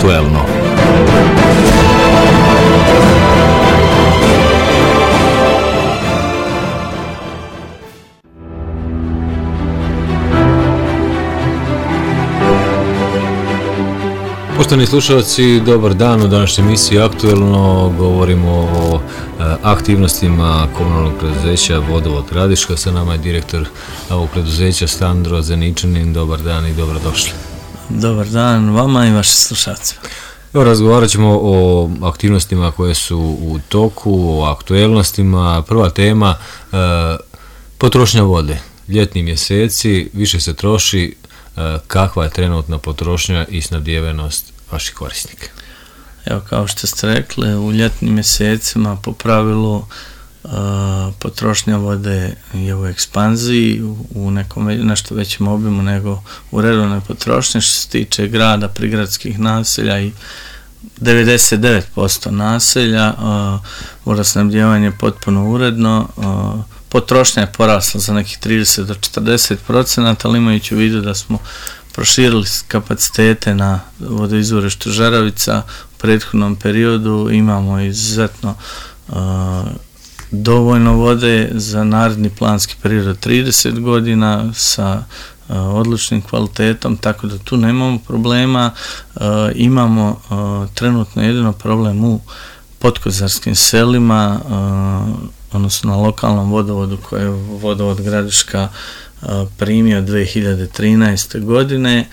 Aktuelno. Poštovani slušalci, dobar dan. U današnjoj emisiji Aktuelno govorimo o aktivnostima komunalnog preduzeća Vodovod Gradiška. Sa nama je direktor ovog preduzeća Sandro Zeničanin. Dobar dan i dobrodošli. Dobar dan vama i vašim slušalcima. Evo, razgovarat ćemo o aktivnostima koje su u toku, o aktuelnostima. Prva tema, potrošnja vode. Ljetni mjeseci, više se troši. Kakva je trenutna potrošnja i snabdijevenost vaših korisnika? Evo, kao što ste rekli, u ljetnim mjesecima po pravilu potrošnja vode je u ekspanziji, u nekom nešto većem obimu nego u redovnoj potrošnji. Što se tiče grada, prigradskih naselja i 99% naselja, vodosnabdijevanje je potpuno uredno. Potrošnja je porasla za nekih 30 do 40%, ali imajući u vidu da smo proširili kapacitete na vodoizvorištu Žeravica u prethodnom periodu, imamo izuzetno dovoljno vode za naredni planski period od 30 godina sa odličnim kvalitetom, tako da tu nemamo problema. Imamo trenutno jedino problem u podkozarskim selima, odnosno na lokalnom vodovodu koje je Vodovod Gradiška primio 2013. godine.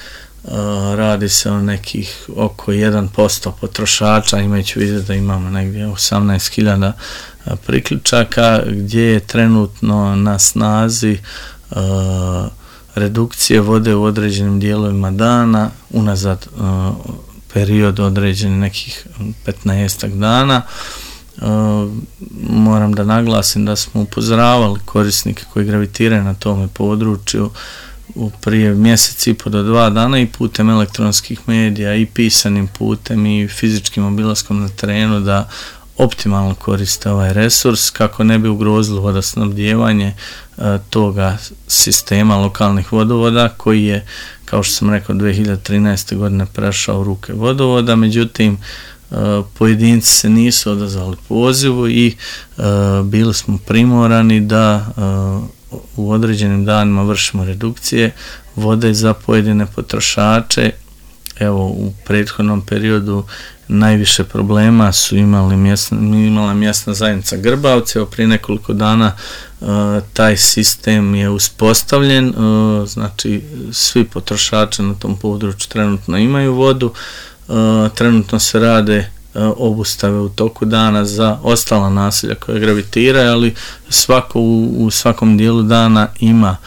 Radi se o nekih oko 1% potrošača, imajući u vidu da imamo negdje 18.000 priključaka, gdje je trenutno na snazi redukcije vode u određenim dijelovima dana, unazad period određeni nekih 15 dana. Moram da naglasim da smo upozoravali korisnike koji gravitiraju na tome području prije mjesec i po do 2 dana i putem elektronskih medija i pisanim putem i fizičkim obilaskom na terenu da optimalno koriste ovaj resurs kako ne bi ugrozilo vodosnabdijevanje toga sistema lokalnih vodovoda koji je, kao što sam rekao, 2013. godine prešao u ruke vodovoda. Međutim, pojedinci se nisu odazvali pozivu i bili smo primorani da u određenim danima vršimo redukcije vode za pojedine potrošače. Evo, u prethodnom periodu najviše problema su imala mjesna zajednica Grbavce. Evo, prije nekoliko dana taj sistem je uspostavljen, znači svi potrošači na tom području trenutno imaju vodu. Trenutno se rade obustave u toku dana za ostala naselja koje gravitiraju, ali svako u svakom dijelu dana ima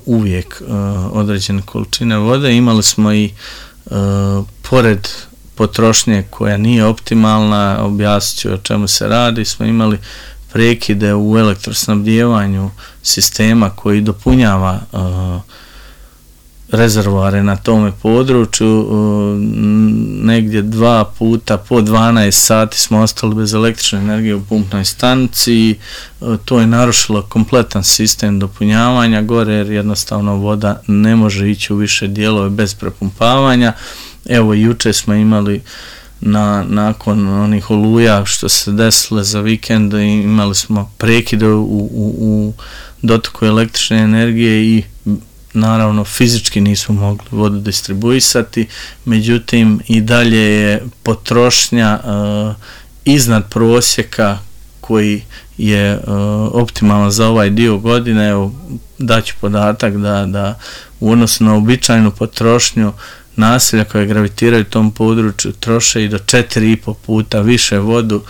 uvijek određene količine vode. Imali smo i pored potrošnje koja nije optimalna, objasnit ću o čemu se radi, smo imali prekide u elektrosnabdijevanju sistema koji dopunjava rezervoare na tome području. Negdje 2 puta po 12 sati smo ostali bez električne energije u pumpnoj stanici. To je narušilo kompletan sistem dopunjavanja gore, jer jednostavno voda ne može ići u više dijelove bez prepumpavanja. Evo, juče smo imali nakon onih oluja što se desile za vikend, imali smo prekide u dotoku električne energije i naravno fizički nismo mogli vodu distribuisati. Međutim, i dalje je potrošnja iznad prosjeka koji je optimalan za ovaj dio godine. Evo, daću podatak da u odnosu na običajnu potrošnju naselja koje gravitiraju u tom području troše i do 4,5 puta više vodu.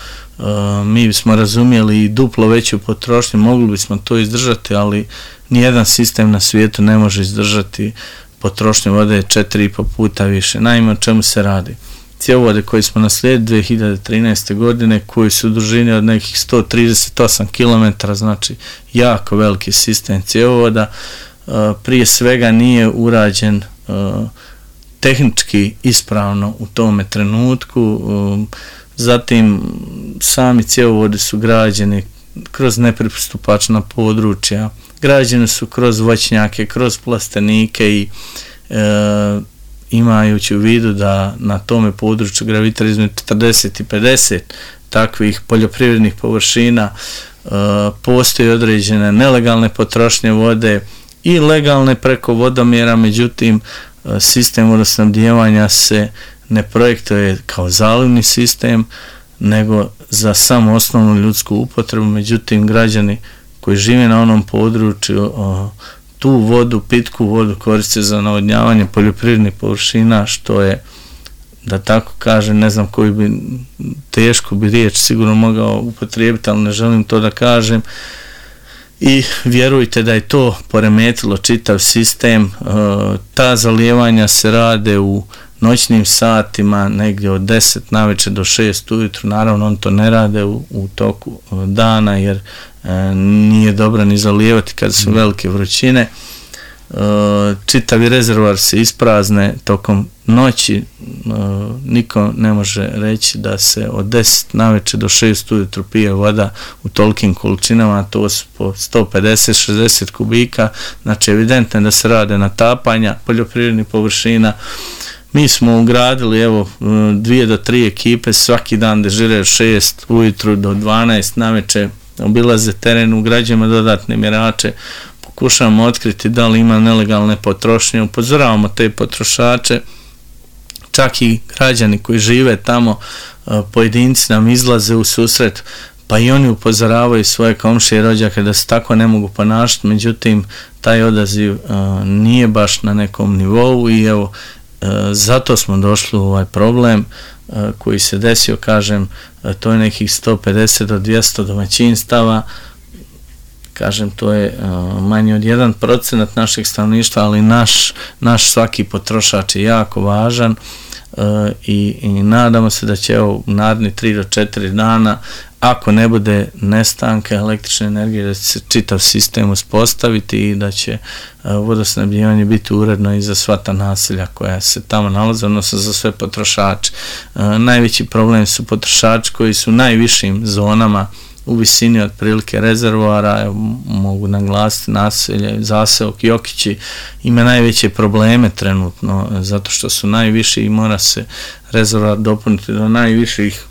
Mi bismo razumjeli i duplo veću potrošnju, mogli bismo to izdržati, ali nijedan sistem na svijetu ne može izdržati potrošnju vode 4,5 puta više. Naime, o čemu se radi? Cjevovode koji smo naslijedili 2013. godine, koji su u dužini od nekih 138 km, znači jako veliki sistem cjevovoda, prije svega nije urađen tehnički ispravno u tome trenutku. Zatim sami cjevovodi su građeni kroz nepristupačna područja, građeni su kroz voćnjake, kroz plastenike i imajući u vidu da na tome području gravitira između 40 i 50 takvih poljoprivrednih površina, postoji određene nelegalne potrošnje vode i legalne preko vodomjera, međutim sistem vodosnabdijevanja se ne projektuje kao zalivni sistem, nego za samo osnovnu ljudsku upotrebu, međutim građani koji žive na onom području tu vodu, pitku vodu koriste za navodnjavanje poljoprivrednih površina, što je, da tako kažem, ne znam koju bi tešku bi riječ sigurno mogao upotrijebiti, ali ne želim to da kažem. I vjerujte da je to poremetilo čitav sistem. Ta zalijevanja se rade u noćnim satima, negdje od 10 navečer do 6 ujutru. Naravno, on to ne rade u toku dana, jer nije dobro ni zalijevati kad su velike vrućine. Čitavi rezervoar se isprazne tokom noći. Niko ne može reći da se od 10 navečer do 6 ujutru pije voda u tolikim količinama, to su po 150-60 kubika, znači evidentno je da se rade natapanja poljoprivrednih površina. Mi smo ugradili 2 do 3 ekipe, svaki dan dežiraju 6 ujutru do 12 navečer, obilaze teren, ugrađujemo dodatne mjerače, pokušavamo otkriti da li ima nelegalne potrošnje, upozoravamo te potrošače, čak i građani koji žive tamo, pojedinci nam izlaze u susret, pa i oni upozoravaju svoje komšije i rođake da se tako ne mogu ponašati, međutim taj odaziv nije baš na nekom nivou i evo, zato smo došli u ovaj problem koji se desio, kažem, to je nekih 150 do 200 domaćinstava, kažem, to je manje od 1% našeg stanovništva, ali naš svaki potrošač je jako važan i nadamo se da će u naredni 3 do 4 dana, ako ne bude nestanka električne energije, da će se čitav sistem uspostaviti i da će vodosnabdijevanje biti uredno i za sva ta naselja koja se tamo nalaze, odnosno za sve potrošače. Najveći problem su potrošači koji su u najvišim zonama u visini otprilike rezervoara, mogu naglasiti naselje Zaseok i Jokići, ima najveće probleme trenutno zato što su najviši i mora se rezervoar dopuniti do najviših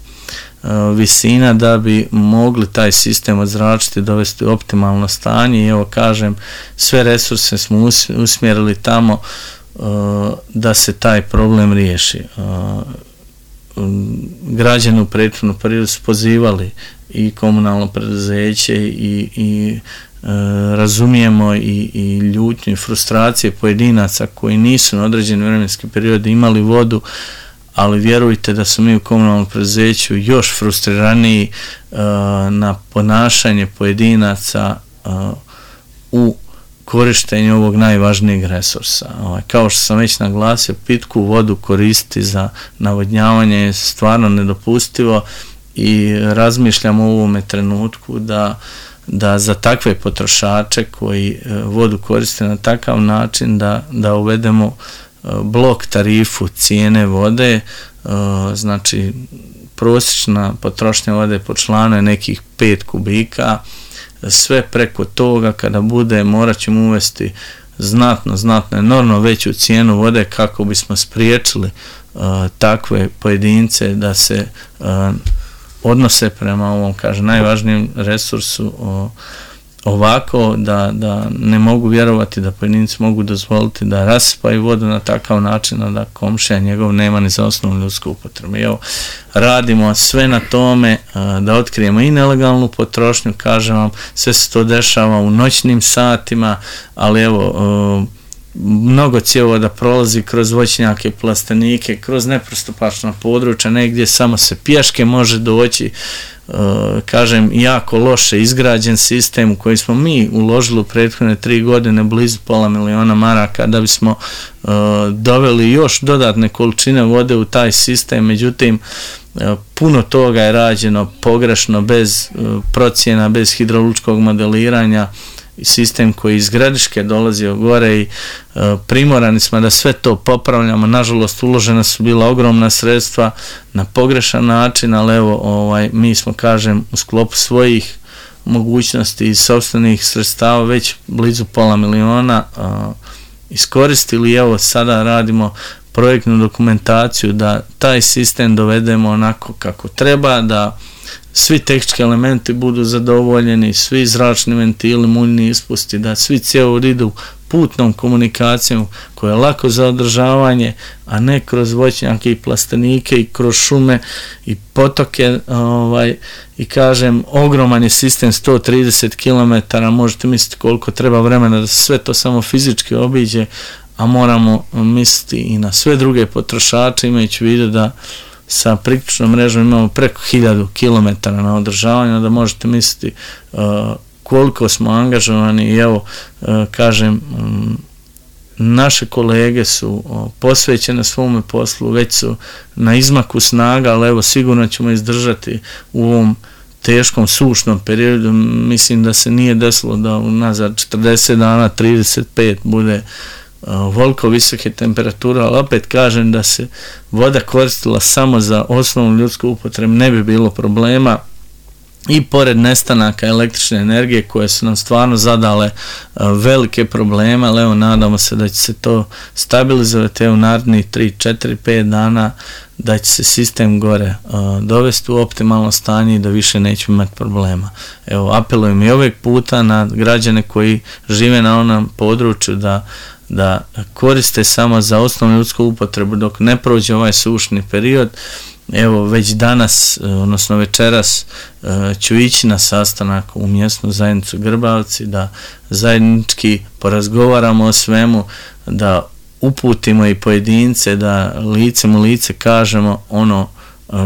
visina da bi mogli taj sistem odzračiti, dovesti u optimalno stanje i evo kažem, sve resurse smo usmjerili tamo da se taj problem riješi. Građani u prethodnom periodu su pozivali i komunalno preduzeće i razumijemo i ljutnju i frustracije pojedinaca koji nisu na određeni vremenski period imali vodu, ali vjerujte da su mi u komunalnom preduzeću još frustriraniji na ponašanje pojedinaca u korištenju ovog najvažnijeg resursa. Kao što sam već naglasio, pitku vodu koristiti za navodnjavanje je stvarno nedopustivo i razmišljamo u ovome trenutku da za takve potrošače koji vodu koriste na takav način da uvedemo blok tarifu cijene vode, znači prosječna potrošnja vode po članu je nekih 5 kubika, sve preko toga kada bude morat ćemo uvesti znatno enormno veću cijenu vode kako bismo spriječili takve pojedince da se odnose prema ovom, kažem, najvažnijem resursu ovako da ne mogu vjerovati da pojedinci mogu dozvoliti da rasipaju vodu na takav način da komšija njegov nema ni za osnovnu ljudsku upotrebu. Evo, radimo sve na tome da otkrijemo i nelegalnu potrošnju, kažem vam, sve se to dešava u noćnim satima, ali evo, mnogo cjevovoda prolazi kroz voćnjake, plastenike, kroz nepristupačna područja, negdje samo se pješke može doći, kažem, jako loše izgrađen sistem u koji smo mi uložili u prethodne 3 godine blizu $500.000 maraka da bismo doveli još dodatne količine vode u taj sistem, međutim puno toga je rađeno pogrešno, bez procjena, bez hidrolučkog modeliranja, sistem koji iz Gradiške dolazio gore i primorani smo da sve to popravljamo. Nažalost, uložena su bila ogromna sredstva na pogrešan način, ali evo, mi smo, kažem, u sklopu svojih mogućnosti i sopstvenih sredstava već blizu $500.000 iskoristili. Evo, sada radimo projektnu dokumentaciju, da taj sistem dovedemo onako kako treba, da svi tehnički elementi budu zadovoljeni, svi zračni ventili, muljni ispusti, da svi cjevovodi idu putnom komunikacijom koja je lako za održavanje, a ne kroz voćnjake i plastenike i kroz šume i potoke. I kažem, ogroman je sistem, 130 km, možete misliti koliko treba vremena da se sve to samo fizički obiđe, a moramo misliti i na sve druge potrošače, imajući u vidu da sa priključnom mrežom imamo preko 1000 km na održavanju, da možete misliti koliko smo angažovani. I evo, kažem, naše kolege su posvećene svome poslu, već su na izmaku snaga, ali evo sigurno ćemo izdržati u ovom teškom sušnom periodu. Mislim da se nije desilo da unazad 40 dana 35 bude voliko visoke temperature, ali opet kažem da se voda koristila samo za osnovnu ljudsku upotrebu, ne bi bilo problema. I pored nestanaka električne energije koje su nam stvarno zadale velike probleme, ali evo nadamo se da će se to stabilizovati u narednih 3, 4, 5 dana, da će se sistem gore dovesti u optimalno stanje i da više nećemo imati problema. Evo, apelujem i ovog puta na građane koji žive na onom području da koriste samo za osnovnu ljudsku upotrebu dok ne prođe ovaj sušni period. Evo, već danas, odnosno večeras, ću ići na sastanak u mjesnu zajednicu Grbavci, da zajednički porazgovaramo o svemu, da uputimo i pojedince, da licem u lice kažemo ono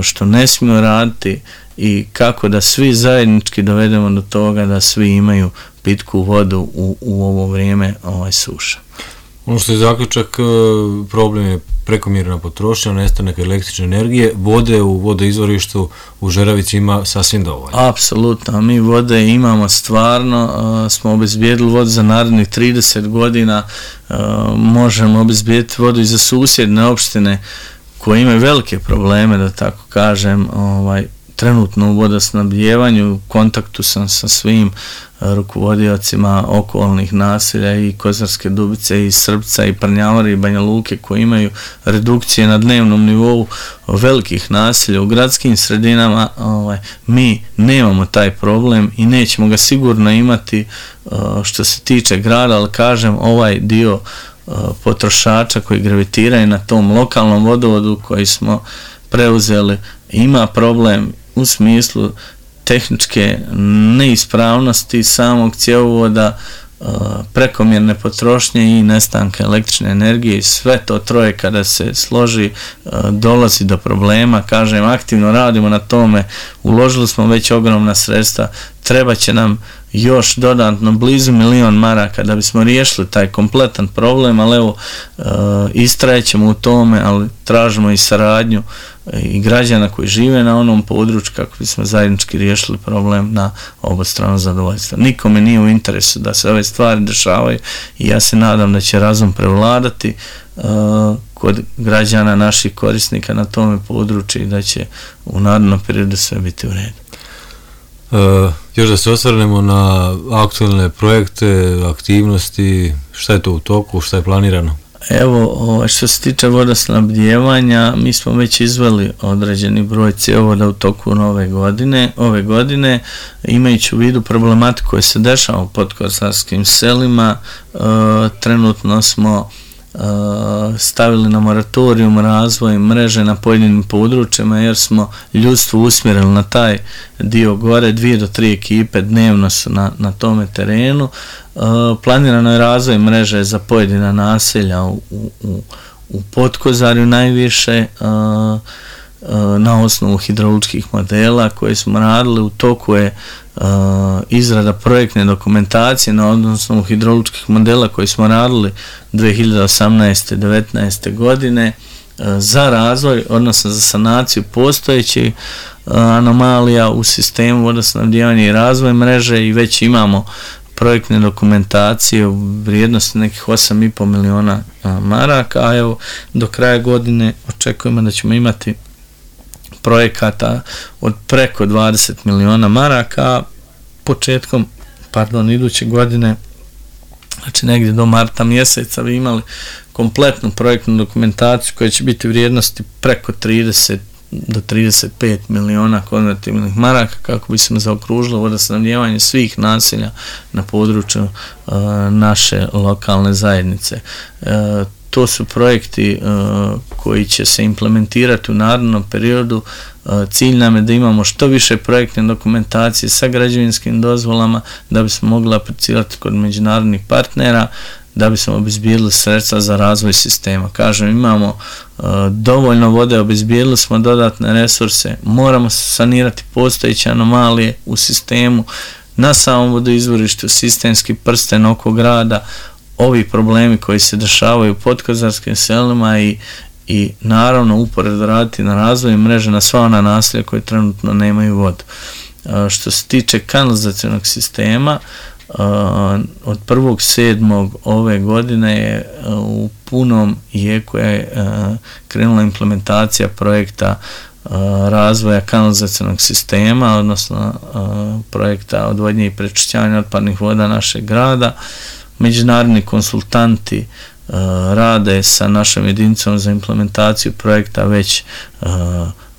što ne smiju raditi i kako da svi zajednički dovedemo do toga da svi imaju pitku vodu u ovo vrijeme suša. Ono što je zaključak, problem je prekomjerna potrošnja, nestanak električne energije, vode u vodoizvorištu u Žeravici ima sasvim dovoljno. Apsolutno, mi vode imamo stvarno, smo obezbijedili vodu za narednih 30 godina, možemo obezbijediti vodu i za susjedne opštine koje imaju velike probleme, da tako kažem, trenutno u vodosnabdijevanju. U kontaktu sam sa svim rukovodiocima okolnih naselja i Kozarske Dubice i Srbca i Prnjavora i Banja Luke koji imaju redukcije na dnevnom nivou velikih naselja u gradskim sredinama. Mi nemamo taj problem i nećemo ga sigurno imati što se tiče grada, ali kažem, ovaj dio potrošača koji gravitiraju na tom lokalnom vodovodu koji smo preuzeli ima problem u smislu tehničke neispravnosti samog cjevovoda, prekomjerne potrošnje i nestanka električne energije, i sve to troje kada se složi dolazi do problema. Kažem, aktivno radimo na tome, uložili smo već ogromna sredstva, treba će nam još dodatno blizu 1 milion maraka da bismo riješili taj kompletan problem, ali evo, istrajećemo u tome, ali tražimo i saradnju i građana koji žive na onom području kako bismo zajednički riješili problem na obostrano zadovoljstvo. Nikome nije u interesu da se ove stvari dešavaju i ja se nadam da će razum prevladati kod građana, naših korisnika na tome području i da će u narednom periodu sve biti u redu. Još da se osvrnemo na aktualne projekte, aktivnosti, šta je to u toku, šta je planirano? Evo, što se tiče vodosnabdijevanja, mi smo već izveli određeni broj cjevovoda u toku ove godine, imajući u vidu problematiku koja se dešava u podkosarskim selima. Trenutno smo stavili na moratorijum razvoj mreže na pojedinim područjima jer smo ljudstvo usmjerili na taj dio gore. 2 do 3 ekipe dnevno su na tome terenu. Planirano je razvoj mreže za pojedina naselja u Podkozarju najviše na osnovu hidrauličkih modela koje smo radili. U toku je izrada projektne dokumentacije na osnovu hidrauličkih modela koje smo radili 2018. 19. godine za razvoj, odnosno za sanaciju postojećih anomalija u sistemu vodosnabdijevanja i razvoj mreže, i već imamo projektne dokumentacije u vrijednosti nekih 8,5 miliona maraka, a evo do kraja godine očekujemo da ćemo imati projekata od preko 20 miliona maraka. Početkom iduće godine Znači negdje do marta mjeseca bi imali kompletnu projektnu dokumentaciju koja će biti vrijednosti preko 30 do 35 miliona konvertibilnih maraka kako bi se zaokružilo vodosnabdijevanje svih naselja na području naše lokalne zajednice. To su projekti koji će se implementirati u narednom periodu. Cilj nam je da imamo što više projektne dokumentacije sa građevinskim dozvolama da bismo mogli aplicirati kod međunarodnih partnera, da bismo obezbijedili sredstva za razvoj sistema. Kažem, imamo dovoljno vode, obezbijedili smo dodatne resurse, moramo sanirati postojeće anomalije u sistemu, na samom vodoizvorištu, sistemski prsten oko grada, ovi problemi koji se dešavaju u podkozarskim selima i naravno uporedo raditi na razvoju mreže na sva ona naselja koje trenutno nemaju vodu. Što se tiče kanalizacionog sistema, od 1.7. ove godine je u punom jeku je krenula implementacija projekta razvoja kanalizacionog sistema, odnosno projekta odvodnje i prečišćavanja otpadnih voda našeg grada. Međunarodni konsultanti rade sa našom jedinicom za implementaciju projekta već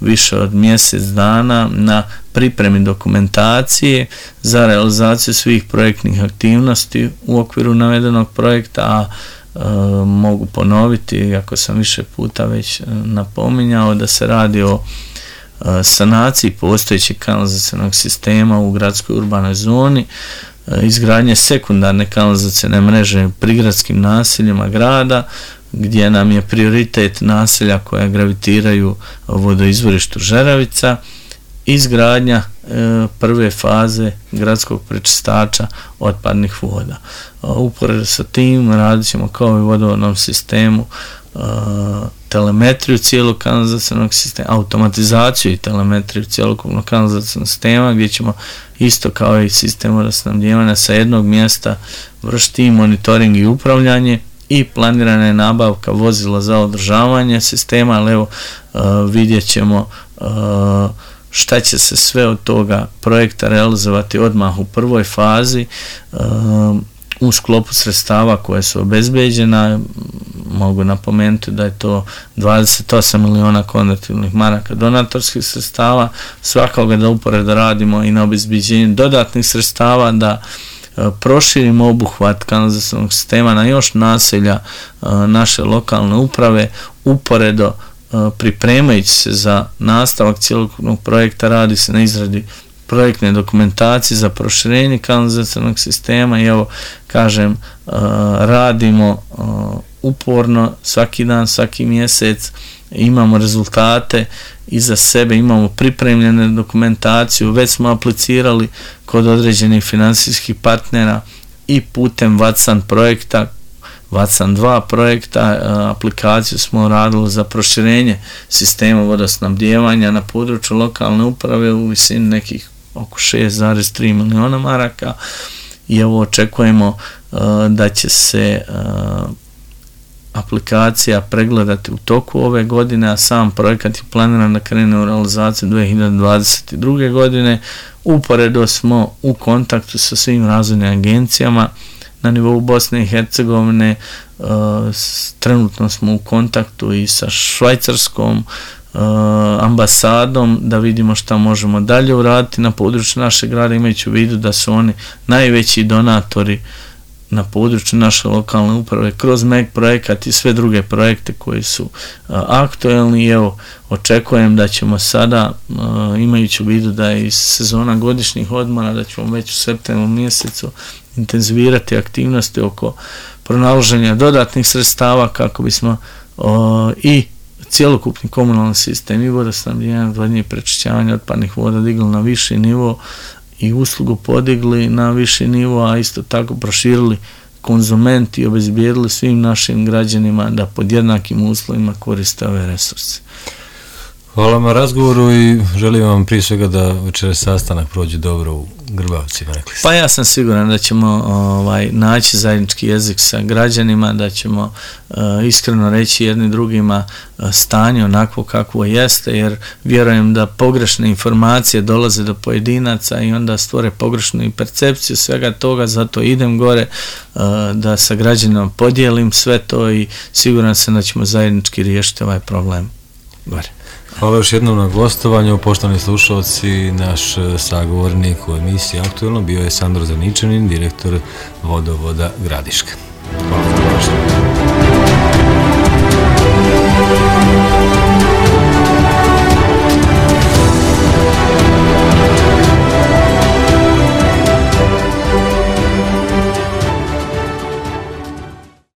više od mjesec dana na pripremi dokumentacije za realizaciju svih projektnih aktivnosti u okviru navedenog projekta, a mogu ponoviti, ako sam više puta već napominjao, da se radi o sanaciji postojećeg kanalizacionog sistema u gradskoj urbanoj zoni, izgradnje sekundarne kanalizacione mreže u prigradskim naseljima grada, gdje nam je prioritet naselja koja gravitiraju vodoizvorištu Žeravica, izgradnja prve faze gradskog prečistača otpadnih voda. Uporedo sa tim radit ćemo kao i u vodovodnom sistemu telemetriju cijelog kanalizacionog sistema, automatizaciju i telemetriju cijelokupnog kanalizacionog sistema, gdje ćemo isto kao i sistem vodosnabdijevanja sa jednog mjesta vršiti monitoring i upravljanje, i planirana je nabavka vozila za održavanje sistema, ali evo vidjet ćemo šta će se sve od toga projekta realizovati odmah u prvoj fazi u sklopu sredstava koje su obezbeđena. Mogu napomenuti da je to 28 miliona konvertibilnih maraka donatorskih sredstava, svakako da uporedo radimo i na obezbeđenju dodatnih sredstava da proširimo obuhvat kanalizacionog sistema na još naselja naše lokalne uprave. Uporedo pripremajući se za nastavak cjelokupnog projekta, radi se na izradi projektne dokumentacije za proširenje kanalizacionog sistema i evo kažem, radimo uporno svaki dan, svaki mjesec, imamo rezultate iza sebe, imamo pripremljene dokumentaciju, već smo aplicirali kod određenih financijskih partnera i putem Vatsan projekta, Vatsan 2 projekta, aplikaciju smo radili za proširenje sistema vodosnabdijevanja na području lokalne uprave u visini nekih oko 6,3 miliona maraka i evo očekujemo da će se aplikacija pregledati u toku ove godine, a sam projekat je planiran da krene u realizaciju 2022. godine. Uporedo smo u kontaktu sa svim razvojnim agencijama na nivou Bosne i Hercegovine, trenutno smo u kontaktu i sa švajcarskom ambasadom da vidimo šta možemo dalje uraditi na području našeg grada, imajući u vidu da su oni najveći donatori na području naše lokalne uprave kroz MEG projekat i sve druge projekte koji su aktuelni. Evo, očekujem da ćemo sada, imajući u vidu da je iz sezona godišnjih odmora, da ćemo već u septembru mjesecu intenzivirati aktivnosti oko pronalaženja dodatnih sredstava kako bismo i cjelokupni komunalni sistem i vodosnabdijevanja, odvodnje i prečišćavanja otpadnih voda digli na viši nivo i uslugu podigli na viši nivo, a isto tako proširili konzumenti i obezbijedili svim našim građanima da pod jednakim uslovima koriste ove resurse. Hvala vam na razgovoru i želim vam prije svega da večeras sastanak prođe dobro u Grbavcima, rekli ste. Pa ja sam siguran da ćemo naći zajednički jezik sa građanima, da ćemo iskreno reći jedni drugima stanje onako kakvo jeste, jer vjerujem da pogrešne informacije dolaze do pojedinaca i onda stvore pogrešnu i percepciju svega toga, zato idem gore da sa građanima podijelim sve to i siguran sam da ćemo zajednički riješiti ovaj problem gore. Hvala još jednom na gostovanju, poštovani slušalci. Naš sagovornik u emisiji Aktuelno bio je Sandor Zaničanin, direktor Vodovoda Gradiška. Hvala.